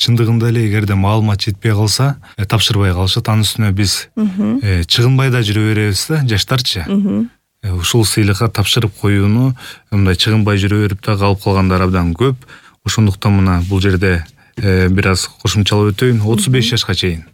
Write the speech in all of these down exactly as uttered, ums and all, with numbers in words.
чындыгында эле эгерде маалымат жетпей калса, тапшырбай калышат. Анын үстүнө биз чыгынбай да жүрө беребиз да, жаштарчы. Ушул сыйлыкка тапшырып коюуну мындай чыгынбай жүрө берип да калып калгандар абдан көп. Ошондуктан мына бул жерде бир аз кошумчалап өтөйүн. отуз беш жашка чейин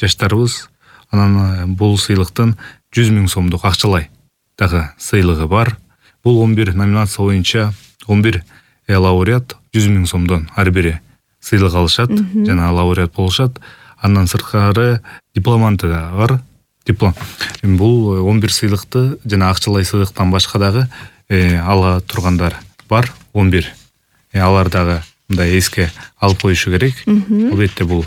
жаштарыбыз. Анан бул сыйлыктын жүз миң сомдук акчалай дагы сыйлыгы бар. Бул он бир номинация боюнча он бир лауреат жүз миң сомдон ар бири сыйлык алышат жана лауреат болушат. Андан сырткары дипломанты да бар. Диплом. Бул он бир сыйлыкты жана акчалай сыйлыктан башка дагы ала тургандар бар. он бир. Алар дагы мындай эске алып коюшу керек. Албетте бул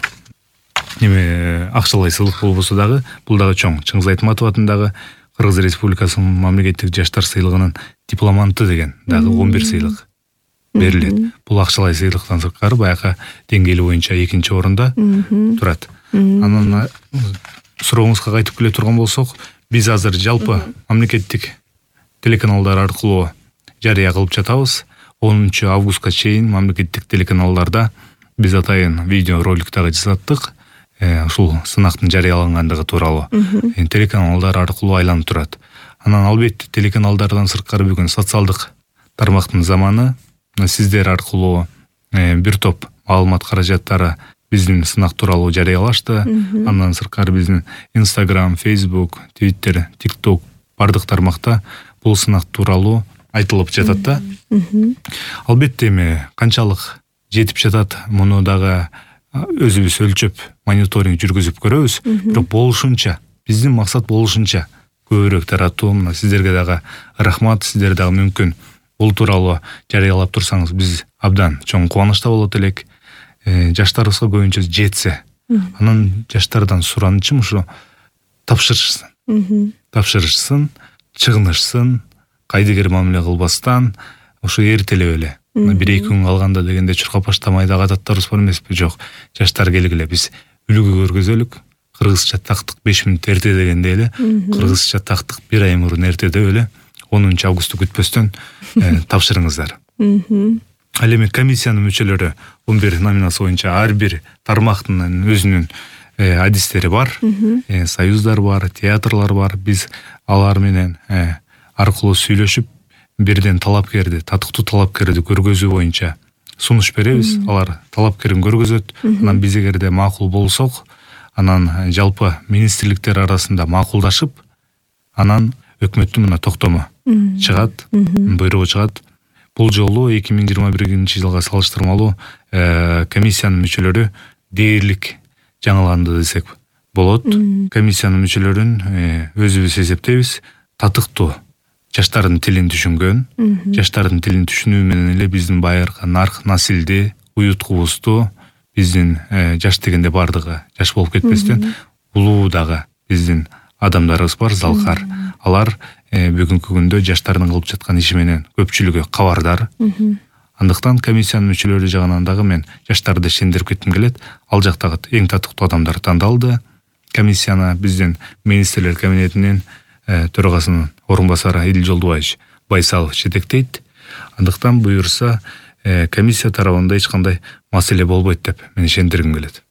неме акчалай сыйлык болбосо дагы бул дагы чоң. Чыңгыз Айтматов атындагы Кыргыз Республикасынын мамлекеттик жаштар сыйлыгынын дипломанты деген дагы он бир сыйлык берилет. Бул акчалай сыйлыктан сырткары баягы деңгээли боюнча экинчи орунда турат. Анан сурооңузга кайтып келе турган болсок, биз азыр жалпы мамлекеттик телеканалдар аркылуу жарыя кылып жатабыз. онунчу августка чейин мамлекеттик телеканалдарда биз атайын видео ролик дагы жасаттык. Ушул сынактын жарыялангандыгы тууралуу телеканалдар аркылуу айланып турат. Анан албетте телеканалдардан сырткары бүгүн социалдык тармактын заманы. Сиздер аркылуу бир топ маалымат каражаттары биздин сынак тууралуу жарыялашты. Андан сырткары биздин Instagram, Facebook, Twitter, TikTok бардык тармакта бул сынак тууралуу айтылып жатат да. Албетте эми канчалык жетип жатат, муну дагы өзүбүз өлчөп, мониторинг жүргүзүп көрөбүз. Бирок болушунча, биздин максат болушунча көбүрөөк таратуу. Мына сиздерге дагы рахмат. Сиздер дагы мүмкүн бул тууралуу жарыялап турсаңыз, биз абдан чоң кубанычта болот элек. Жаштарыбызга көбүнчө жетсе, анан жаштардан суранычым ушу тапшырышсын. Тапшырышсын, чыгынышсын, кайдыгер мамиле кылбастан, ушу эртелеп эле бир эки күн калганда дегенде чуркап баштамай дагы адаттарыбыз бар эмеспи? Жок, жаштар келгиле, биз үлгү көргөзөлүк. Кыргызча тактык беш мүнөт эрте дегенде эле, кыргызча тактык бир ай мурун эрте деп эле онунчу августу күтпөстөн тапшырыңыздар. Ал эми комиссиянын мүчөлөрү он бир номинация боюнча ар бир тармактын өзүнүн адистери бар, союздар бар, театрлар бар. Биз алар менен аркылуу сүйлөшүп, бирден талапкерди, татыктуу талапкерди көргөзүү боюнча сунуш беребиз. Алар талапкерин көргөзөт. Анан биз эгерде макул болсок, анан жалпы министрликтер арасында макулдашып, анан өкмөттүн мына токтому чыгат, буйругу чыгат. Бул жолу эки миң жыйырма биринчи жылга салыштырмалуу комиссиянын мүчөлөрү дээрлик жаңыланды десек болот. Комиссиянын мүчөлөрүн өзүбүз эсептейбиз. Татыктуу, жаштардын тилин түшүнгөн, жаштардын тилин түшүнүү менен эле биздин байыркы нарк насилди, уюткубузду, биздин жаш дегенде бардыгы жаш болуп кетпестен, улуу дагы биздин адамдарыбыз бар, залкар. Алар бүгүнкү күндө жаштардын кылып жаткан иши менен көпчүлүгү кабардар. Андыктан комиссиянын мүчөлөрү жагынан дагы мен жаштарды ишендирип кетким келет. Ал жактагы эң татыктуу адамдар тандалды. Комиссияны биздин министрлер кабинетинин төрагасынын орун басары Идил Жолдубаевич Байсалов жетектейт. Андыктан буюрса комиссия тарабында эч кандай маселе болбойт деп мен ишендиргим келет.